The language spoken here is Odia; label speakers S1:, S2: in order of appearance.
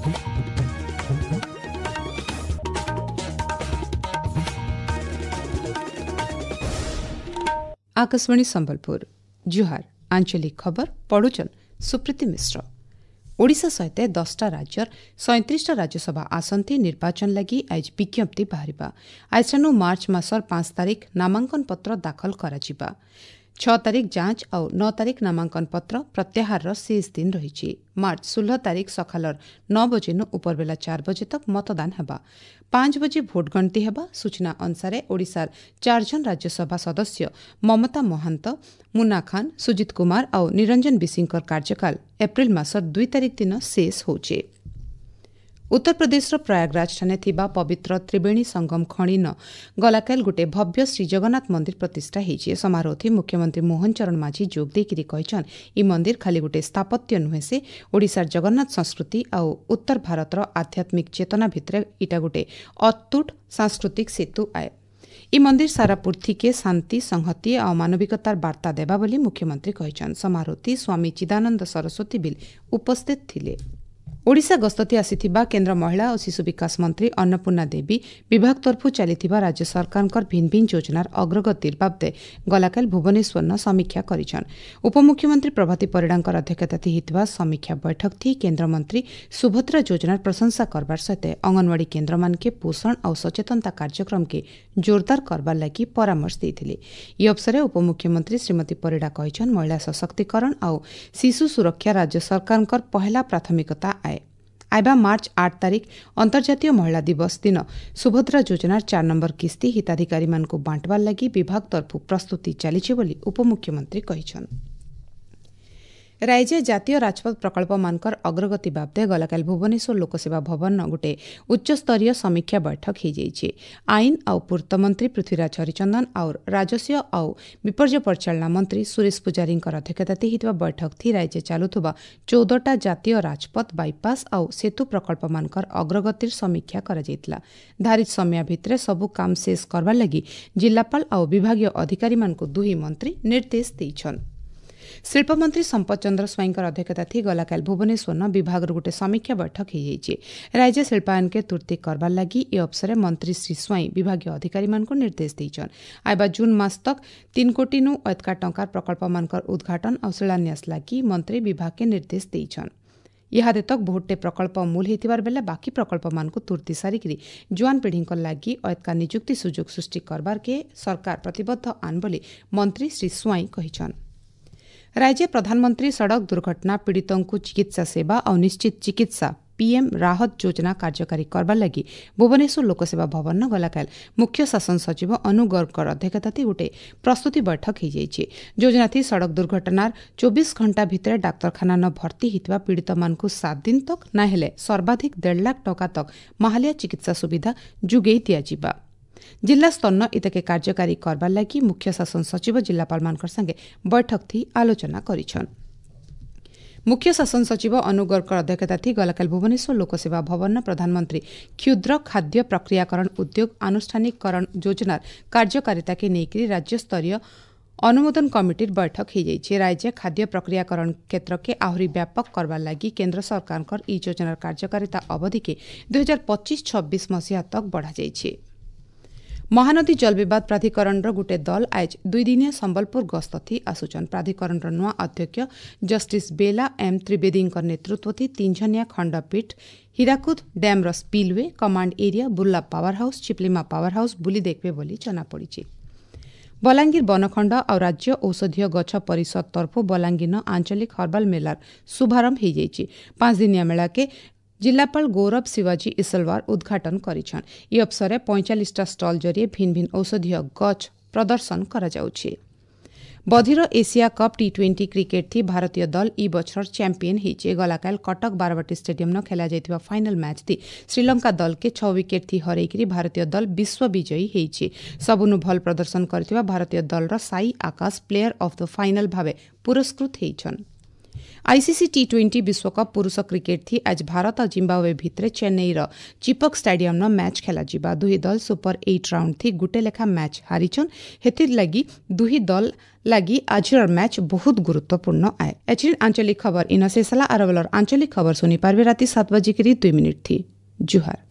S1: Akashvani Sambalpur ଜୁହାର ଆଞ୍ଚଳିକ ଖବର ପଢୁଛନ୍ ସୁପ୍ରୀତି ମିଶ୍ର। ଓଡ଼ିଶା ସହିତ 10ଟା ରାଜ୍ୟର 37ଟା ରାଜ୍ୟସଭା ଆସନ୍ତି ନିର୍ବାଚନ ଲାଗି ଆଜି ବିଜ୍ଞପ୍ତି ବାହାରିବା। ଆଜିଠାନୁ ମାର୍ଚ୍ଚ ମାସର 5 ତାରିଖ ନାମାଙ୍କନ ପତ୍ର ଦାଖଲ କରାଯିବା। 6 ତାରିଖ ଯାଞ୍ଚ ଆଉ 9 ତାରିଖ ନାମାଙ୍କନ ପତ୍ର ପ୍ରତ୍ୟାହାରର ଶେଷ ଦିନ ରହିଛି। ମାର୍ଚ୍ଚ 16 ତାରିଖ ସକାଳର 9 ବଜେନୁ ଉପରବେଲା 4 ବଜେ ତକ ମତଦାନ ହେବା। 5 ବଜେ ଭୋଟ ଗଣତି ହେବା। ସୂଚନା ଅନୁସାରେ ଓଡ଼ିଶାର 4 ଜଣ ରାଜ୍ୟସଭା ସଦସ୍ୟ ମମତା ମହାନ୍ତ, ମୁନା ଖାନ୍, ସୁଜିତ କୁମାର ଆଉ ନିରଞ୍ଜନ ବିଶିଙ୍କର କାର୍ଯ୍ୟକାଳ ଏପ୍ରିଲ ମାସ 2 ତାରିଖ ଦିନ ଶେଷ ହେଉଛି। ଉତ୍ତରପ୍ରଦେଶର ପ୍ରୟାଗରାଜଠାରେ ଥିବା ପବିତ୍ର ତ୍ରିବେଣୀ ସଙ୍ଗମ ଖଣିନ ଗଲାକାଲ ଗୋଟିଏ ଭବ୍ୟ ଶ୍ରୀଜଗନ୍ନାଥ ମନ୍ଦିର ପ୍ରତିଷ୍ଠା ହୋଇଛି। ସମାରୋହଥି ମୁଖ୍ୟମନ୍ତ୍ରୀ ମୋହନ ଚରଣ ମାଝୀ ଯୋଗ ଦେଇକରି କହିଛନ୍, ଇ ମନ୍ଦିର ଖାଲି ଗୋଟିଏ ସ୍ଥାପତ୍ୟ ନୁହେଁ, ସେ ଓଡ଼ିଶାର ଜଗନ୍ନାଥ ସଂସ୍କୃତି ଆଉ ଉତ୍ତର ଭାରତର ଆଧ୍ୟାତ୍ମିକ ଚେତନା ଭିତରେ ଇଟା ଗୋଟିଏ ଅତୁଟ ସାଂସ୍କୃତିକ ସେତୁ ଆଏ। ଇ ମନ୍ଦିର ସାରା ପୃଥିବୀକେ ଶାନ୍ତି, ସଂହତି ଆଉ ମାନବିକତାର ବାର୍ତ୍ତା ଦେବା ବୋଲି ମୁଖ୍ୟମନ୍ତ୍ରୀ କହିଛନ୍। ସମାରୋହଥି ସ୍ୱାମୀ ଚିଦାନନ୍ଦ ସରସ୍ୱତୀ ବିଲ୍ ଉପସ୍ଥିତ ଥିଲେ। ଓଡ଼ିଶା ଗସ୍ତତି ଆସିଥିବା କେନ୍ଦ୍ର ମହିଳା ଓ ଶିଶୁ ବିକାଶ ମନ୍ତ୍ରୀ ଅନ୍ନପୂର୍ଣ୍ଣା ଦେବୀ ବିଭାଗ ତରଫରୁ ଚାଲିଥିବା ରାଜ୍ୟ ସରକାରଙ୍କର ଭିନ୍ନ ଭିନ୍ନ ଯୋଜନାର ଅଗ୍ରଗତିର ବାବଦେ ଗଲାକାଲି ଭୁବନେଶ୍ୱରନ ସମୀକ୍ଷା କରିଛନ୍। ଉପମୁଖ୍ୟମନ୍ତ୍ରୀ ପ୍ରଭାତୀ ପରିଡ଼ାଙ୍କର ଅଧ୍ୟକ୍ଷତାରେ ହୋଇଥିବା ସମୀକ୍ଷା ବୈଠକଥି କେନ୍ଦ୍ରମନ୍ତ୍ରୀ ସୁଭଦ୍ରା ଯୋଜନାର ପ୍ରଶଂସା କରବାର ସହିତ ଅଙ୍ଗନବାଡ଼ି କେନ୍ଦ୍ରମାନକେ ପୋଷଣ ଆଉ ସଚେତନତା କାର୍ଯ୍ୟକ୍ରମକେ ଜୋରଦାର କରବାର ଲାଗି ପରାମର୍ଶ ଦେଇଥିଲେ। ଏହି ଅବସରରେ ଉପମୁଖ୍ୟମନ୍ତ୍ରୀ ଶ୍ରୀମତୀ ପରିଡ଼ା କହିଛନ୍, ମହିଳା ସଶକ୍ତିକରଣ ଆଉ ଶିଶୁ ସୁରକ୍ଷା ରାଜ୍ୟ ସରକାରଙ୍କର ପହେଲା ପ୍ରାଥମିକତା ଆଏ। ଆଇବା ମାର୍ଚ୍ଚ 8 ତାରିଖ ଅନ୍ତର୍ଜାତୀୟ ମହିଳା ଦିବସ ଦିନ ସୁଭଦ୍ରା ଯୋଜନାର 4 ନମ୍ବର କିସ୍ତି ହିତାଧିକାରୀମାନଙ୍କୁ ବାଣ୍ଟବାର ଲାଗି ବିଭାଗ ତରଫରୁ ପ୍ରସ୍ତୁତି ଚାଲିଛି ବୋଲି ଉପମୁଖ୍ୟମନ୍ତ୍ରୀ କହିଛନ୍। ରାଜ୍ୟ ଜାତୀୟ ରାଜପଥ ପ୍ରକଳ୍ପମାନଙ୍କର ଅଗ୍ରଗତି ବାବଦେ ଗଲାକାଲି ଭୁବନେଶ୍ୱର ଲୋକସେବା ଭବନ ଗୋଟିଏ ଉଚ୍ଚସ୍ତରୀୟ ସମୀକ୍ଷା ବୈଠକ ହୋଇଯାଇଛି। ଆଇନ ଆଉ ପୂର୍ତ୍ତ ମନ୍ତ୍ରୀ ପୃଥ୍ୱୀରାଜ ହରିଚନ୍ଦନ ଆଉ ରାଜସ୍ୱ ଆଉ ବିପର୍ଯ୍ୟୟ ପରିଚାଳନା ମନ୍ତ୍ରୀ ସୁରେଶ ପୂଜାରୀଙ୍କର ଅଧ୍ୟକ୍ଷତାରେ ହୋଇଥିବା ବୈଠକଥି ରାଜ୍ୟ ଚାଲୁଥିବା 14ଟା ଜାତୀୟ ରାଜପଥ, ବାଇପାସ୍ ଆଉ ସେତୁ ପ୍ରକଳ୍ପମାନଙ୍କର ଅଗ୍ରଗତିର ସମୀକ୍ଷା କରାଯାଇଥିଲା। ଧାରିତ ସମୟ ଭିତରେ ସବୁ କାମ ଶେଷ କରବାର ଲାଗି ଜିଲ୍ଲାପାଳ ଆଉ ବିଭାଗୀୟ ଅଧିକାରୀମାନଙ୍କୁ ଦୁହି ମନ୍ତ୍ରୀ ନିର୍ଦ୍ଦେଶ ଦେଇଛନ୍। ଶିଳ୍ପମନ୍ତ୍ରୀ ସମ୍ପଦ ଚନ୍ଦ୍ର ସ୍ୱାଇଁଙ୍କର ଅଧ୍ୟକ୍ଷତାରେ ଗଲାକାଲି ଭୁବନେଶ୍ୱର ବିଭାଗର ଗୋଟିଏ ସମୀକ୍ଷା ବୈଠକ ହୋଇଯାଇଛି। ରାଜ୍ୟ ଶିଳ୍ପାୟନକେ ତୁର୍ତ୍ତି କରବାର ଲାଗି ଏ ଅବସରରେ ମନ୍ତ୍ରୀ ଶ୍ରୀ ସ୍ୱାଇଁ ବିଭାଗୀୟ ଅଧିକାରୀମାନଙ୍କୁ ନିର୍ଦ୍ଦେଶ ଦେଇଛନ୍। ଆଇବା ଜୁନ୍ ମାସ ତକ 3 କୋଟିନୁ ଏତକା ଟଙ୍କାର ପ୍ରକଳ୍ପମାନଙ୍କର ଉଦ୍ଘାଟନ ଆଉ ଶିଳାନ୍ୟାସ ଲାଗି ମନ୍ତ୍ରୀ ବିଭାଗକେ ନିର୍ଦ୍ଦେଶ ଦେଇଛନ୍। ଇହାଦେ ତକ ବହୁତଟେ ପ୍ରକଳ୍ପ ମୂଲ ହେଇଥିବାର ବେଲେ ବାକି ପ୍ରକଳ୍ପମାନଙ୍କୁ ତୁର୍ତ୍ତି ସାରିକିରି ଜୁଆନ ପିଢ଼ିଙ୍କ ଲାଗି ଏତକା ନିଯୁକ୍ତି ସୁଯୋଗ ସୃଷ୍ଟି କରବାରକେ ସରକାର ପ୍ରତିବଦ୍ଧ ଆନ୍ ବୋଲି ମନ୍ତ୍ରୀ ଶ୍ରୀ ସ୍ୱାଇଁ କହିଛନ୍। ରାଜ୍ୟ ପ୍ରଧାନମନ୍ତ୍ରୀ ସଡ଼କ ଦୁର୍ଘଟଣା ପୀଡ଼ିତଙ୍କୁ ଚିକିତ୍ସା ସେବା ଆଉ ନିଶ୍ଚିତ ଚିକିତ୍ସା ପିଏମ୍ ରାହତ ଯୋଜନା କାର୍ଯ୍ୟକାରୀ କରବାର ଲାଗି ଭୁବନେଶ୍ୱର ଲୋକସେବା ଭବନ ଗଲାକାଲି ମୁଖ୍ୟ ଶାସନ ସଚିବ ଅନୁ ଗର୍ଗଙ୍କର ଅଧ୍ୟକ୍ଷତାରେ ଗୋଟିଏ ପ୍ରସ୍ତୁତି ବୈଠକ ହୋଇଯାଇଛି। ଯୋଜନାଥି ସଡ଼କ ଦୁର୍ଘଟଣାର 24 ଘଣ୍ଟା ଭିତରେ ଡାକ୍ତରଖାନାନ ଭର୍ତ୍ତି ହୋଇଥିବା ପୀଡ଼ିତମାନଙ୍କୁ 7 ଦିନ ତକ ନା ହେଲେ ସର୍ବାଧିକ 1.5 ଲାଖ ଟଙ୍କା ତକ ମାହାଲିଆ ଚିକିତ୍ସା ସୁବିଧା ଯୋଗାଇ ଦିଆଯିବା। ଜିଲ୍ଲା ସ୍ତରନ ଇତାକେ କାର୍ଯ୍ୟକାରୀ କରବାର ଲାଗି ମୁଖ୍ୟ ଶାସନ ସଚିବ ଜିଲ୍ଲାପାଳମାନଙ୍କ ସାଙ୍ଗେ ବୈଠକଥି ଆଲୋଚନା କରିଛନ୍। ମୁଖ୍ୟ ଶାସନ ସଚିବ ଅନୁ ଗର୍ଗଙ୍କ ଅଧ୍ୟକ୍ଷତାରେ ଗଲାକାଲି ଭୁବନେଶ୍ୱର ଲୋକସେବା ଭବନ ପ୍ରଧାନମନ୍ତ୍ରୀ କ୍ଷୁଦ୍ର ଖାଦ୍ୟ ପ୍ରକ୍ରିୟାକରଣ ଉଦ୍ୟୋଗ ଆନୁଷ୍ଠାନିକରଣ ଯୋଜନାର କାର୍ଯ୍ୟକାରିତାକେ ନେଇକରି ରାଜ୍ୟସ୍ତରୀୟ ଅନୁମୋଦନ କମିଟିର ବୈଠକ ହୋଇଯାଇଛି। ରାଜ୍ୟ ଖାଦ୍ୟ ପ୍ରକ୍ରିୟାକରଣ କ୍ଷେତ୍ରକେ ଆହୁରି ବ୍ୟାପକ କରବାର ଲାଗି କେନ୍ଦ୍ର ସରକାରଙ୍କର ଏହି ଯୋଜନାର କାର୍ଯ୍ୟକାରିତା ଅବଧିକେ 2025-26 ମସିହା ତକ ବଢ଼ାଯାଇଛି। ମହାନଦୀ ଜଳବିବାଦ ପ୍ରାଧିକରଣର ଗୋଟିଏ ଦଳ ଆଜ 2 ଦିନିଆ ସମ୍ବଲପୁର ଗସ୍ତଥି ଆସୁଛନ୍। ପ୍ରାଧିକରଣର ନୂଆ ଅଧ୍ୟକ୍ଷ ଜଷ୍ଟିସ୍ ବେଲା ଏମ୍ ତ୍ରିବେଦୀଙ୍କ ନେତୃତ୍ୱଥି 3 ଜଣିଆ ଖଣ୍ଡପୀଠ Hirakud ଡ୍ୟାମ୍ର spillway, command area, Burla power house, Chiplima power house ବୁଲି ଦେଖିବେ ବୋଲି ଜଣାପଡ଼ିଛି। ବଲାଙ୍ଗୀର ବନଖଣ୍ଡ ଆଉ ରାଜ୍ୟ ଔଷଧୀୟ ଗଛ ପରିଷଦ ତରଫରୁ ବଲାଙ୍ଗୀର ଆଞ୍ଚଳିକ ହର୍ବାଲ ମେଲାର ଶୁଭାରମ୍ଭ ହୋଇଯାଇଛି। 5 ଦିନିଆ ମେଳାକେ ଜିଲ୍ଲାପାଳ ଗୌରବ ଶିବାଜୀ ଇସଲୱାର ଉଦ୍ଘାଟନ କରିଛନ୍। ଏହି ଅବସରରେ 45ଟା ଷ୍ଟଲ୍ ଜରିଏ ଭିନ୍ନ ଭିନ୍ନ ଔଷଧୀୟ ଗଛ ପ୍ରଦର୍ଶନ କରାଯାଉଛି। ବଧିର ଏସିଆ କପ୍ ଟି-20 କ୍ରିକେଟ୍ ଥି ଭାରତୀୟ ଦଳ ଇ ବଛର ଚାମ୍ପିୟନ ହେଇଛି। ଗଲାକାଲି କଟକ ବାରବାଟୀ ଷ୍ଟାଡିୟମ୍ନ ଖେଳାଯାଇଥିବା ଫାଇନାଲ ମ୍ୟାଚ୍ ଥି ଶ୍ରୀଲଙ୍କା ଦଳକେ 6 ୱିକେଟ୍ ଥି ହରେଇକରି ଭାରତୀୟ ଦଳ ବିଶ୍ୱ ବିଜୟୀ ହେଇଛି। ସବୁନୁ ଭଲ ପ୍ରଦର୍ଶନ କରିଥିବା ଭାରତୀୟ ଦଳର Sai Akash player of the final ଭାବେ ପୁରସ୍କୃତ ହେଇଛନ୍। आईसीसी टी20 ବିଶ୍ୱକପ୍ ପୁରୁଷ କ୍ରିକେଟ୍ ଥି ଆଜ ଭାରତ ଆଉ ଜିମ୍ବାୱେ ଭିତରେ ଚେନ୍ନାଇର ଚିପକ୍ ଷ୍ଟାଡିୟମ୍ନ ମ୍ୟାଚ୍ ଖେଲାଯିବା। ଦୁହି ଦଳ ସୁପର 8 ରାଉଣ୍ଡ ଥି ଗୁଟେ ଲେଖା ମ୍ୟାଚ୍ ହାରିଛନ୍। ହେଥିର୍ ଲାଗି ଦୁହି ଦଳ ଲାଗି ଆଜିର ମ୍ୟାଚ୍ ବହୁତ ଗୁରୁତ୍ୱପୂର୍ଣ୍ଣ ଆଏ। ଏଛିନ୍ ଆଞ୍ଚଳିକ ଖବର ଇନ ଶେଷ ହେଲା। ଆର ବେଲର ଆଞ୍ଚଳିକ ଖବର ଶୁନି ପାରବେ ରାତି 7 ବଜିକରି 2 ମିନିଟ୍ ଥି। ଜୁହାର।